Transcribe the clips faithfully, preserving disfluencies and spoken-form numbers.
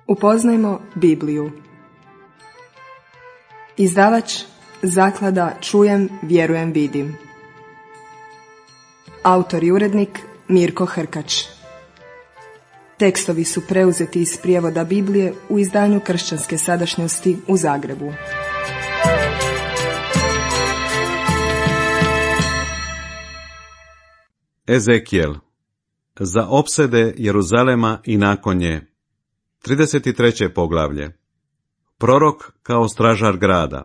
Upoznajmo Bibliju. Izdavač Zaklada Čujem, vjerujem, vidim. Autor i urednik Mirko Hrkač. Tekstovi su preuzeti iz prijevoda Biblije u izdanju Kršćanske sadašnjosti u Zagrebu. Ezekijel. Za opsede Jeruzalema i nakon nje. trideset treće poglavlje. Prorok kao stražar grada.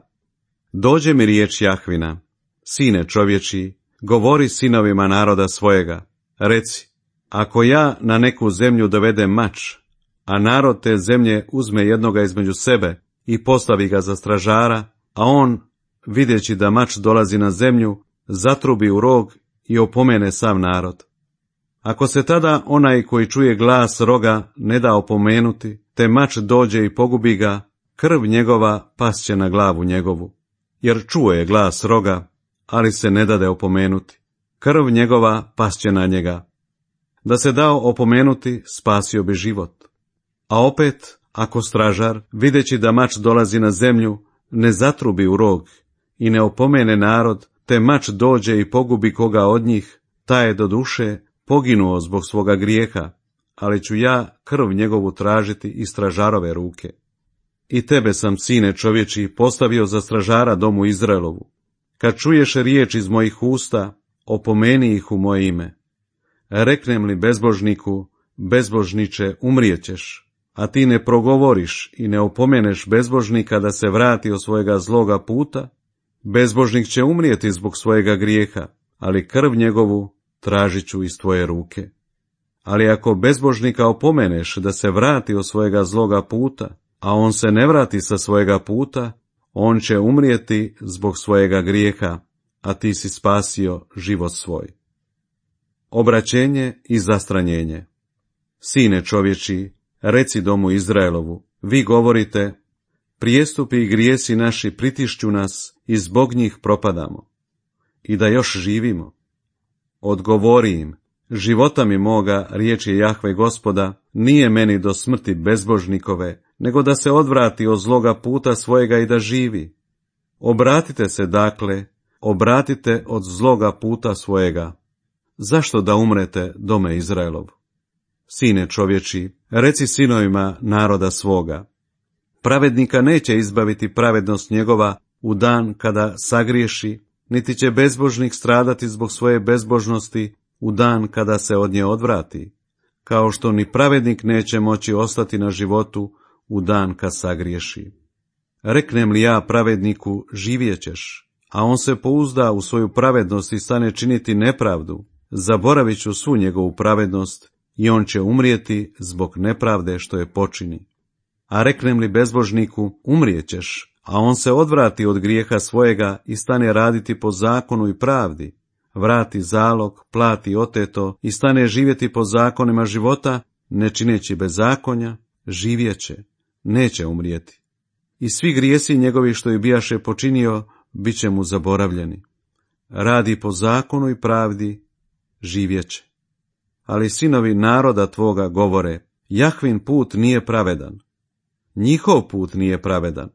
Dođe mi riječ Jahvina, sine čovječiji, govori sinovima naroda svojega, reci, ako ja na neku zemlju dovedem mač, a narod te zemlje uzme jednoga između sebe i postavi ga za stražara, a on, vidjeći da mač dolazi na zemlju, zatrubi u rog i opomene sav narod. Ako se tada onaj koji čuje glas roga ne da opomenuti, te mač dođe i pogubi ga, krv njegova pasće na glavu njegovu, jer čuje je glas roga, ali se ne dade opomenuti. Krv njegova pasće na njega. Da se dao opomenuti, spasio bi život. A opet, ako stražar, videći da mač dolazi na zemlju, ne zatrubi u rog i ne opomene narod, te mač dođe i pogubi koga od njih, taj je do duše poginuo zbog svoga grijeha, ali ću ja krv njegovu tražiti iz stražarove ruke. I tebe sam, sine čovječi, postavio za stražara domu Izraelovu. Kad čuješ riječ iz mojih usta, opomeni ih u moje ime. Reknem li bezbožniku, bezbožniče, umrijećeš, a ti ne progovoriš i ne opomeneš bezbožnika da se vrati od svojega zloga puta, bezbožnik će umrijeti zbog svojega grijeha, ali krv njegovu tražit ću iz tvoje ruke. Ali ako bezbožnika opomeneš da se vrati od svojega zloga puta, a on se ne vrati sa svojega puta, on će umrijeti zbog svojega grijeha, a ti si spasio život svoj. Obraćenje i zastranjenje. Sine čovječi, reci domu Izraelovu, vi govorite, prijestupi i grijesi naši pritišću nas i zbog njih propadamo. I da još živimo. Odgovori im, života mi moga, riječi Jahve Gospoda, nije meni do smrti bezbožnikove, nego da se odvrati od zloga puta svojega i da živi. Obratite se dakle, obratite od zloga puta svojega. Zašto da umrete, dome Izraelov? Sine čovječi, reci sinovima naroda svoga. Pravednika neće izbaviti pravednost njegova u dan kada sagriješi, niti će bezbožnik stradati zbog svoje bezbožnosti u dan kada se od nje odvrati, kao što ni pravednik neće moći ostati na životu u dan kad sagriješi. Reknem li ja pravedniku, živjećeš, a on se pouzda u svoju pravednost i stane činiti nepravdu, zaboravit ću svu njegovu pravednost i on će umrijeti zbog nepravde što je počini. A reknem li bezbožniku, umrijećeš, a on se odvrati od grijeha svojega i stane raditi po zakonu i pravdi, vrati zalog, plati oteto i stane živjeti po zakonima života, ne čineći bezakonja, živjeće, neće umrijeti. I svi grijesi njegovi što je bijaše počinio, bit će mu zaboravljeni. Radi po zakonu i pravdi, živjeće. Ali sinovi naroda tvoga govore, Jahvin put nije pravedan. Njihov put nije pravedan.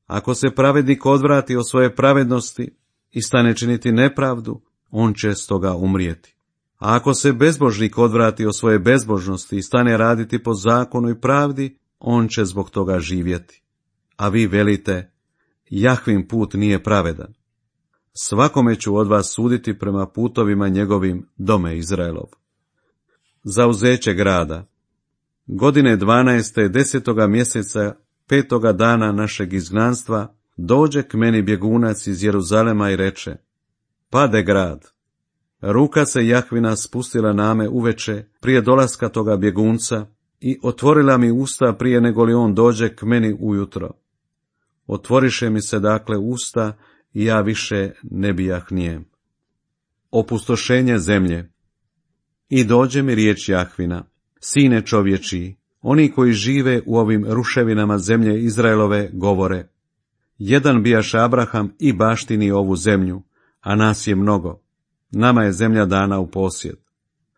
Ako se pravednik odvrati od svoje pravednosti i stane činiti nepravdu, on će stoga umrijeti. A ako se bezbožnik odvrati od svoje bezbožnosti i stane raditi po zakonu i pravdi, on će zbog toga živjeti. A vi velite, Jahvin put nije pravedan. Svakome ću od vas suditi prema putovima njegovim, dome Izraelov. Zauzeće grada. Godine dvanaeste desetoga mjeseca, petoga dana našeg izgnanstva, dođe k meni bjegunac iz Jeruzalema i reče, pade grad. Ruka se Jahvina spustila na me uveče prije dolaska toga bjegunca i otvorila mi usta prije nego li on dođe k meni ujutro. Otvoriše mi se dakle usta i ja više ne bijah nijem. Opustošenje zemlje. I dođe mi riječ Jahvina, sine čovječiji, oni koji žive u ovim ruševinama zemlje Izraelove govore, jedan bijaš Abraham i baštini ovu zemlju, a nas je mnogo, nama je zemlja dana u posjed.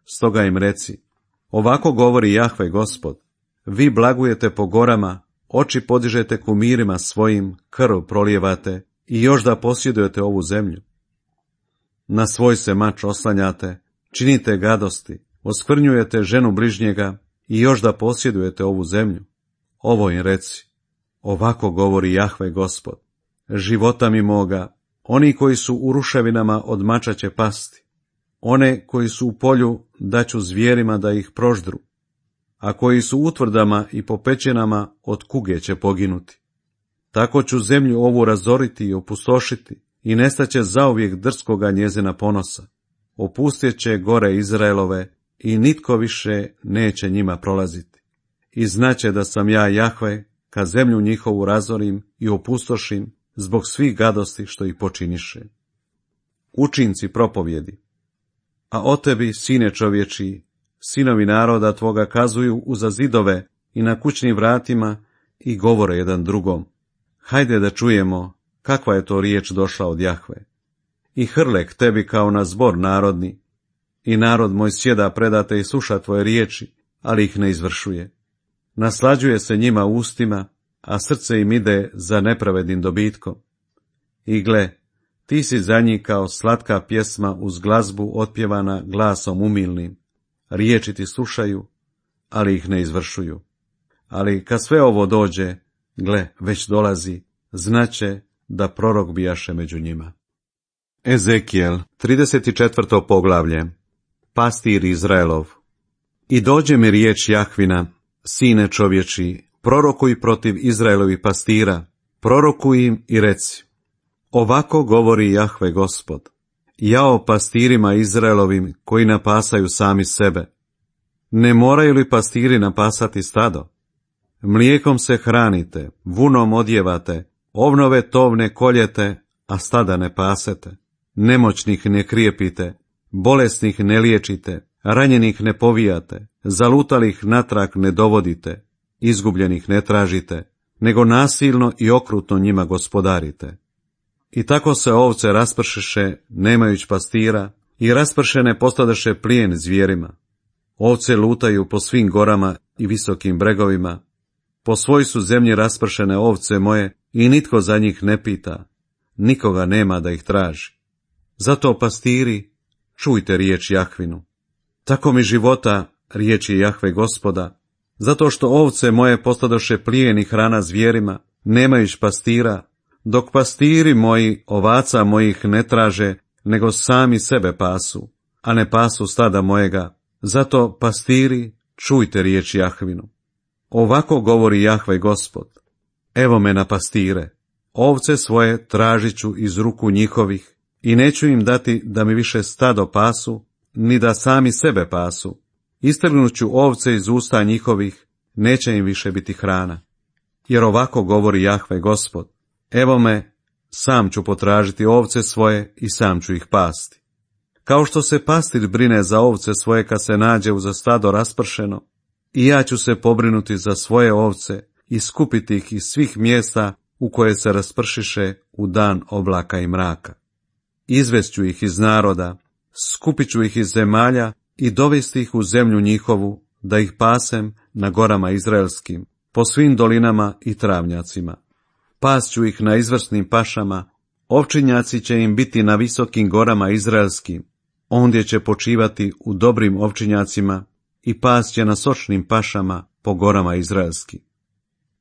Stoga im reci, ovako govori Jahve Gospod, vi blagujete po gorama, oči podižete kumirima svojim, krv prolijevate i još da posjedujete ovu zemlju. Na svoj se mač oslanjate, činite gadosti, oskvrnjujete ženu bližnjega i još da posjedujete ovu zemlju. Ovo im reci, ovako govori Jahve Gospod, života mi moga, oni koji su u ruševinama od mača će pasti, one koji su u polju daću zvijerima da ih proždru, a koji su u utvrdama i po pećinama od kuge će poginuti. Tako ću zemlju ovu razoriti i opustošiti i nestaće zauvijek drskoga njezina ponosa. Opustjet će gore Izraelove i nitko više neće njima prolaziti. I znaće da sam ja Jahve, kad zemlju njihovu razorim i opustošim zbog svih gadosti što ih počiniše. Učinci propovjedi. A o tebi, sine čovječiji, sinovi naroda tvoga kazuju uza zidove i na kućnim vratima i govore jedan drugom. Hajde da čujemo kakva je to riječ došla od Jahve. I hrle k tebi kao na zbor narodni, i narod moj sjeda predate i sluša tvoje riječi, ali ih ne izvršuje. Naslađuje se njima ustima, a srce im ide za nepravednim dobitkom. I gle, ti si za njih kao slatka pjesma uz glazbu otpjevana glasom umilnim. Riječi ti slušaju, ali ih ne izvršuju. Ali kad sve ovo dođe, gle, već dolazi, znaće da prorok bijaše među njima. Ezekijel, trideset četvrto poglavlje. Pastir Izraelov. I dođe mi riječ Jahvina, sine čovječi, prorokuj protiv Izraelovih pastira, prorokuj im i reci. Ovako govori Jahve Gospod, jao pastirima Izraelovim koji napasaju sami sebe. Ne moraju li pastiri napasati stado? Mlijekom se hranite, vunom odjevate, ovnove tovne koljete, a stada ne pasete. Nemoćnih ne krijepite, bolesnih ne liječite, ranjenih ne povijate, zalutalih natrag ne dovodite, izgubljenih ne tražite, nego nasilno i okrutno njima gospodarite. I tako se ovce raspršiše, nemajuć pastira, i raspršene postadeše plijen zvijerima. Ovce lutaju po svim gorama i visokim bregovima. Po svoj su zemlji raspršene ovce moje i nitko za njih ne pita, nikoga nema da ih traži. Zato pastiri, čujte riječ Jahvinu. Tako mi života, riječi Jahve Gospoda, zato što ovce moje postadoše plijen i hrana zvijerima, nemajuć pastira, dok pastiri moji ovaca mojih ne traže, nego sami sebe pasu, a ne pasu stada mojega. Zato pastiri, čujte riječ Jahvinu. Ovako govori Jahve Gospod, evo me na pastire, ovce svoje tražit ću iz ruku njihovih i neću im dati da mi više stado pasu, ni da sami sebe pasu. Istrgnut ću ovce iz usta njihovih, neće im više biti hrana. Jer ovako govori Jahve Gospod, evo me, sam ću potražiti ovce svoje i sam ću ih pasti. Kao što se pastir brine za ovce svoje kad se nađe uza stado raspršeno, i ja ću se pobrinuti za svoje ovce i skupiti ih iz svih mjesta u koje se raspršiše u dan oblaka i mraka. Izvešću ih iz naroda, skupit ću ih iz zemalja i dovesti ih u zemlju njihovu, da ih pasem na gorama izraelskim, po svim dolinama i travnjacima. Pasću ih na izvrsnim pašama, ovčinjaci će im biti na visokim gorama izraelskim, ondje će počivati u dobrim ovčinjacima i pas će na sočnim pašama po gorama izraelskim.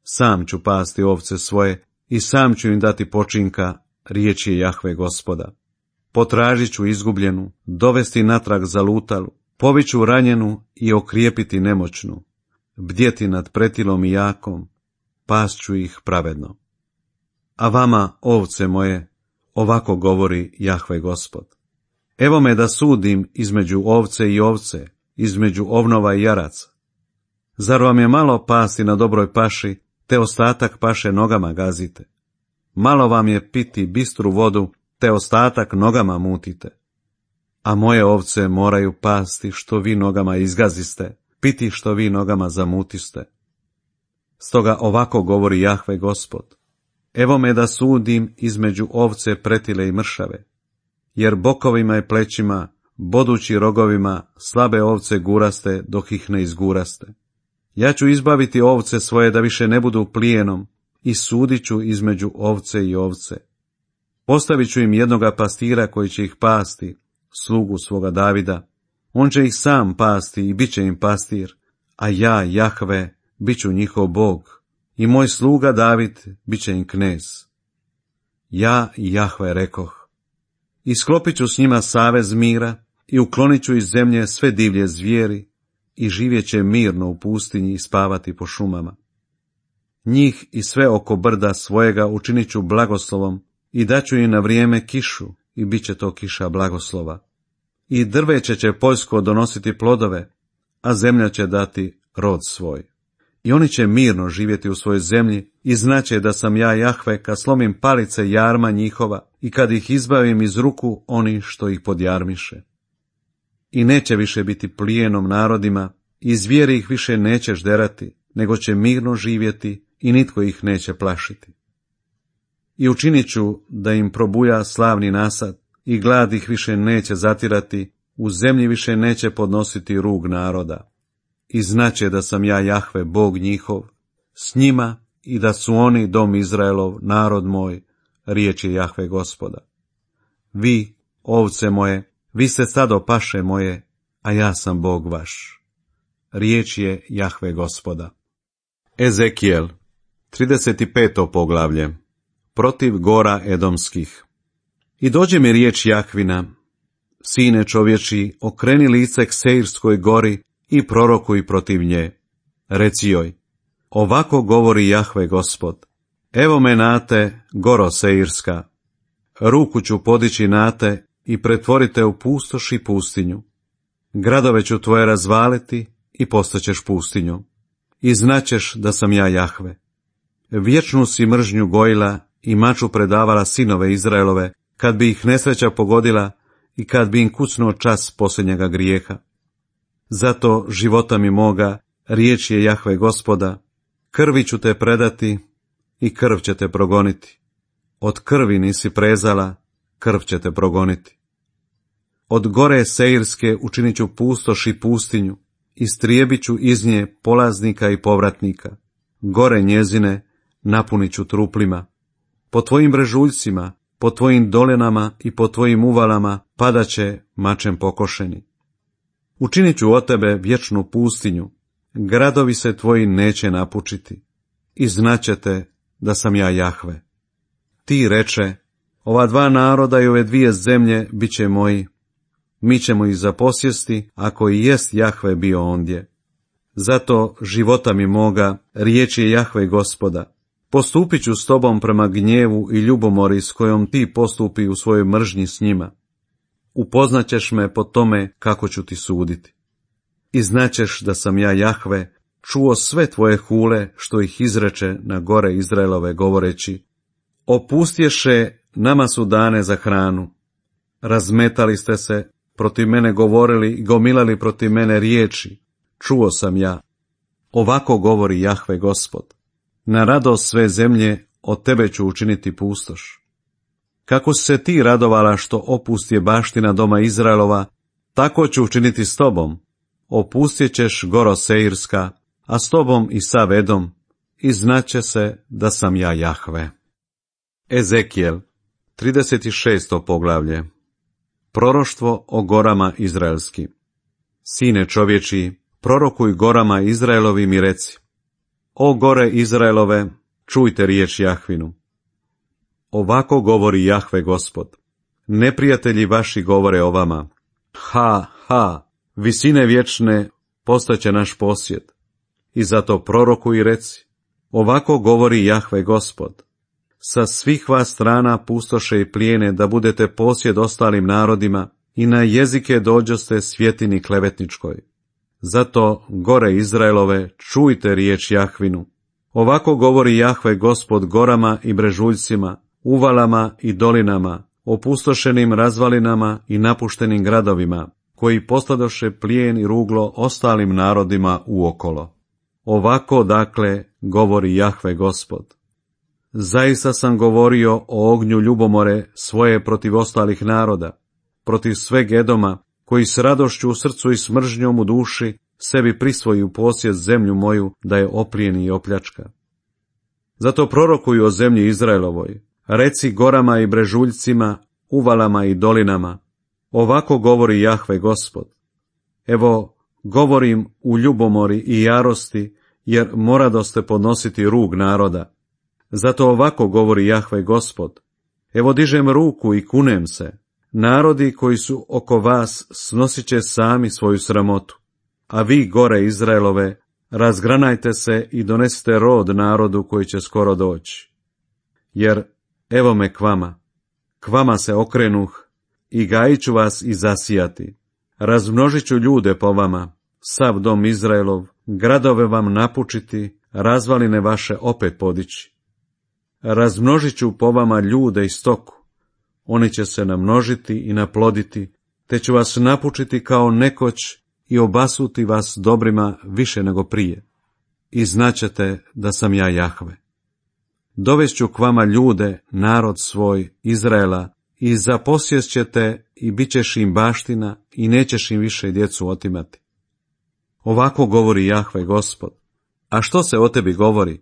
Sam ću pasti ovce svoje i sam ću im dati počinka, riječ je Jahve Gospoda. Potražit ću izgubljenu, dovesti natrag zalutalu, poviću ranjenu i okrijepiti nemoćnu, bdjeti nad pretilom i jakom, pasću ih pravedno. A vama, ovce moje, ovako govori Jahve Gospod. Evo me da sudim između ovce i ovce, između ovnova i jaraca. Zar vam je malo pasti na dobroj paši, te ostatak paše nogama gazite? Malo vam je piti bistru vodu, te ostatak nogama mutite. A moje ovce moraju pasti što vi nogama izgaziste, piti što vi nogama zamutiste. Stoga ovako govori Jahve Gospod. Evo me da sudim između ovce pretile i mršave, jer bokovima i plećima, bodući rogovima, slabe ovce guraste dok ih ne izguraste. Ja ću izbaviti ovce svoje da više ne budu plijenom i sudit ću između ovce i ovce. Postavit ću im jednoga pastira koji će ih pasti, slugu svoga Davida. On će ih sam pasti i bit će im pastir, a ja, Jahve, bit ću njihov Bog i moj sluga David bit će im knez. Ja, Jahve, rekoh, i sklopit ću s njima savez mira i uklonit ću iz zemlje sve divlje zvijeri i živjet će mirno u pustinji i spavati po šumama. Njih i sve oko brda svojega učinit ću blagoslovom i daću im na vrijeme kišu i bit će to kiša blagoslova. I drveće će poljsko donositi plodove, a zemlja će dati rod svoj. I oni će mirno živjeti u svojoj zemlji i znaće da sam ja Jahve kad slomim palice jarma njihova i kad ih izbavim iz ruku oni što ih podjarmiše. I neće više biti plijenom narodima i zvijeri ih više neće žderati, nego će mirno živjeti i nitko ih neće plašiti. I učinit ću da im probuja slavni nasad i glad ih više neće zatirati, u zemlji više neće podnositi rug naroda. I znaće da sam ja Jahve, Bog njihov, s njima i da su oni dom Izraelov, narod moj, riječ je Jahve Gospoda. Vi, ovce moje, vi ste stado paše moje, a ja sam Bog vaš. Riječ je Jahve Gospoda. Ezekijel, trideset peto poglavlje. Protiv gora edomskih. I dođe mi riječ Jahvina, sine čovječi, okreni lice k Seirskoj gori i prorokuj protiv nje. Reci joj, ovako govori Jahve Gospod, evo me nate, goro Seirska, ruku ću podići nate i pretvorite u pustoš i pustinju. Gradove ću tvoje razvaliti i postaćeš pustinju. I znaćeš da sam ja Jahve. Vječnu si mržnju gojila i maču predavala sinove Izraelove, kad bi ih nesreća pogodila i kad bi im kucnuo čas posljednjega grijeha. Zato života mi moga, riječ je Jahve Gospoda, krvi ću te predati i krv će te progoniti. Od krvi nisi prezala, krv će te progoniti. Od gore Seirske učinit ću pustoš i pustinju, istrijebit ću iz nje polaznika i povratnika. Gore njezine napunit ću truplima. Po tvojim brežuljcima, po tvojim dolenama i po tvojim uvalama padaće mačem pokošeni. Učinit ću od tebe vječnu pustinju, gradovi se tvoji neće napučiti. I znaćete da sam ja Jahve. Ti reče, ova dva naroda i ove dvije zemlje bit će moji. Mi ćemo ih zaposjesti, ako i jest Jahve bio ondje. Zato života mi moga, riječ je Jahve Gospoda, postupit ću s tobom prema gnjevu i ljubomori s kojom ti postupi u svojoj mržnji s njima. Upoznaćeš me po tome kako ću ti suditi. I znaćeš da sam ja Jahve, čuo sve tvoje hule što ih izreče na gore Izraelove govoreći, opustješe, nama su dane za hranu. Razmetali ste se, protiv mene govorili i gomilali protiv mene riječi, čuo sam ja. Ovako govori Jahve Gospod, na radost sve zemlje od tebe ću učiniti pustoš. Kako si se ti radovala što opustje baština doma Izraelova, tako ću učiniti s tobom. Opustjet ćeš goro Seirska, a s tobom i sav Edom, i znaće se da sam ja Jahve. Ezekijel, trideset šesto poglavlje. Proroštvo o gorama izraelski. Sine čovječi, prorokuj gorama Izraelovim i reci, o gore Izraelove, čujte riječ Jahvinu. Ovako govori Jahve Gospod, neprijatelji vaši govore o vama, ha, ha, visine vječne postaće naš posjed. I zato prorokuj i reci, ovako govori Jahve Gospod, sa svih vas strana pustoše i plijene da budete posjed ostalim narodima i na jezike dođoste svjetini klevetničkoj. Zato, gore Izraelove, čujte riječ Jahvinu. Ovako govori Jahve Gospod gorama i brežuljcima, uvalama i dolinama, opustošenim razvalinama i napuštenim gradovima, koji postadoše plijen i ruglo ostalim narodima uokolo. Ovako, dakle, govori Jahve Gospod. Zaista sam govorio o ognju ljubomore svoje protiv ostalih naroda, protiv sveg Edoma, koji s radošću u srcu i smržnjom u duši sebi prisvoji u posjed zemlju moju, da je oplijeni i opljačka. Zato prorokuju o zemlji Izraelovoj, reci gorama i brežuljcima, uvalama i dolinama, ovako govori Jahve Gospod. Evo, govorim u ljubomori i jarosti, jer moradoste podnositi rug naroda. Zato ovako govori Jahve Gospod. Evo dižem ruku i kunem se. Narodi koji su oko vas snosit će sami svoju sramotu. A vi, gore Izraelove, razgranajte se i donesite rod narodu koji će skoro doći. Jer evo me k vama, k vama se okrenuh i gajit ću vas i zasijati. Razmnožit ću ljude po vama, sav dom Izraelov, gradove vam napučiti, razvaline vaše opet podići. Razmnožit ću po vama ljude i stoku, oni će se namnožiti i naploditi, te ću vas napučiti kao nekoć i obasuti vas dobrima više nego prije. I znaćete da sam ja Jahve. Dovešću k vama ljude, narod svoj, Izraela, i zaposješćete i bit ćeš im baština i nećeš im više djecu otimati. Ovako govori Jahve Gospod. A što se o tebi govori?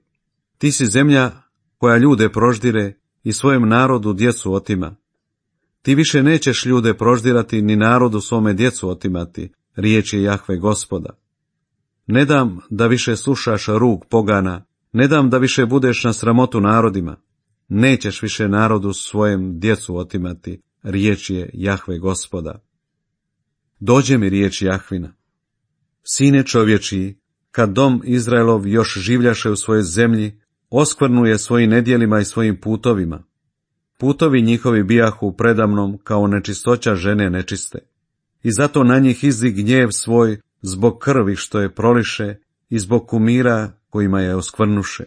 Ti si zemlja koja ljude proždire i svojem narodu djecu otima. Ti više nećeš ljude proždirati ni narodu svome djecu otimati, riječ je Jahve Gospoda. Ne dam da više slušaš rug pogana, ne dam da više budeš na sramotu narodima. Nećeš više narodu svojem djecu otimati, riječ je Jahve Gospoda. Dođe mi riječ Jahvina. Sine čovječiji, kad dom Izraelov još življaše u svojoj zemlji, oskvrnuje svojim nedjelima i svojim putovima. Putovi njihovi bijahu predamnom kao nečistoća žene nečiste. I zato na njih izdi gnjev svoj zbog krvi što je proliše i zbog kumira kojima je oskvrnuše.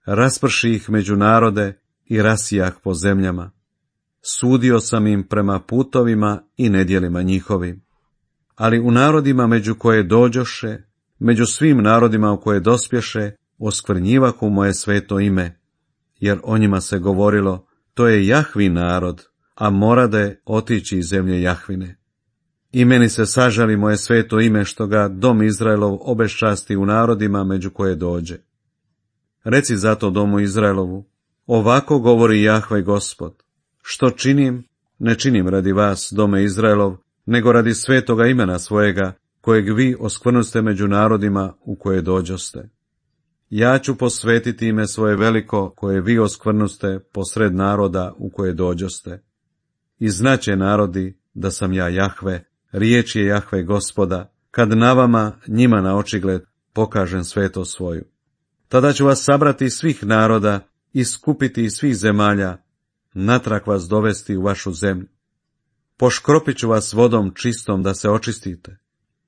Rasprši ih među narode i rasijah po zemljama. Sudio sam im prema putovima i nedjelima njihovim. Ali u narodima među koje dođoše, među svim narodima u koje dospješe, oskvrnjivahu moje sveto ime, jer o njima se govorilo, to je Jahvin narod, a morade otići iz zemlje Jahvine. I meni se sažali moje sveto ime što ga dom Izraelov obeščasti u narodima među koje dođe. Reci zato domu Izraelovu, ovako govori Jahve Gospod, što činim, ne činim radi vas, dome Izraelov, nego radi svetoga imena svojega, kojeg vi oskvrnuste među narodima u koje dođoste. Ja ću posvetiti ime svoje veliko, koje vi oskvrnuste posred naroda u koje dođoste. I znaće narodi da sam ja Jahve, riječ je Jahve Gospoda, kad na vama, njima na očigled, pokažem sveto svoju. Tada ću vas sabrati iz svih naroda i skupiti iz svih zemalja, natrag vas dovesti u vašu zemlju. Poškropit ću vas vodom čistom da se očistite.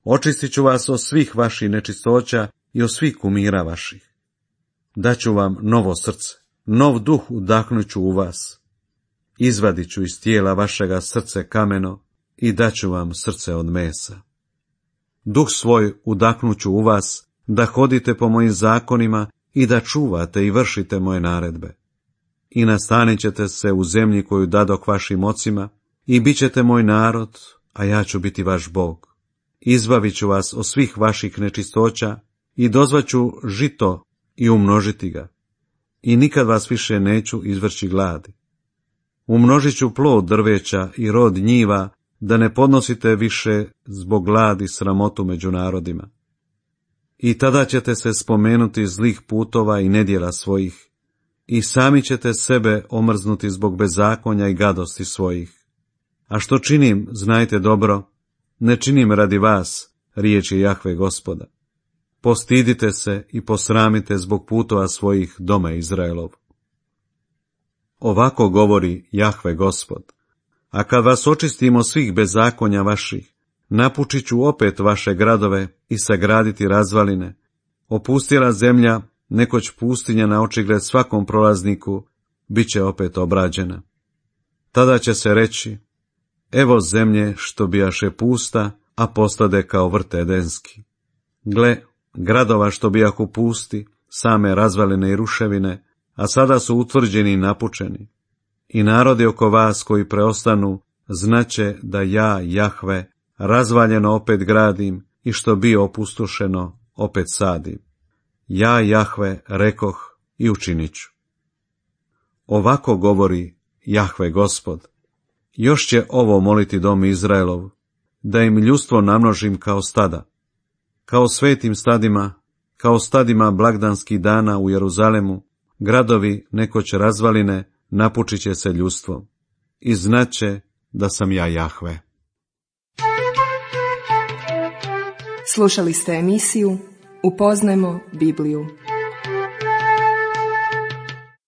Očistit ću vas od svih vaših nečistoća i od svih kumira vaših. Daću vam novo srce, nov duh udahnut ću u vas. Izvadit ću iz tijela vašega srce kameno i daću vam srce od mesa. Duh svoj udahnut ću u vas, da hodite po mojim zakonima i da čuvate i vršite moje naredbe. I nastanit ćete se u zemlji koju dadoh vašim ocima i bit ćete moj narod, a ja ću biti vaš Bog. Izbavit ću vas od svih vaših nečistoća i dozvaću žito i umnožiti ga. I nikad vas više neću izvrći gladi. Umnožit ću plod drveća i rod njiva, da ne podnosite više zbog gladi sramotu među narodima. I tada ćete se spomenuti zlih putova i nedjela svojih, i sami ćete sebe omrznuti zbog bezakonja i gadosti svojih. A što činim, znajte dobro, ne činim radi vas, riječ je Jahve Gospoda. Postidite se i posramite zbog putova svojih, dome Izraelov. Ovako govori Jahve Gospod. A kad vas očistimo svih bezakonja vaših, napučit ću opet vaše gradove i sagraditi razvaline. Opustjela zemlja, nekoć pustinja na očigled svakom prolazniku, bit će opet obrađena. Tada će se reći, evo zemlje što bijaše pusta, a postade kao vrt edenski. Gle, gradova što bijahu pusti, same razvaline i ruševine, a sada su utvrđeni i napučeni. I narodi oko vas koji preostanu, znaće da ja, Jahve, razvaljeno opet gradim i što bio opustošeno, opet sadim. Ja, Jahve, rekoh i učinit ću. Ovako govori Jahve Gospod. Još će ovo moliti dom Izraelov, da im ljudstvo namnožim kao stada. Kao svetim stadima, kao stadima blagdanskih dana u Jeruzalemu, gradovi nekoć razvaline napučit će se ljudstvom. I znaće da sam ja Jahve. Slušali ste emisiju Upoznajmo Bibliju.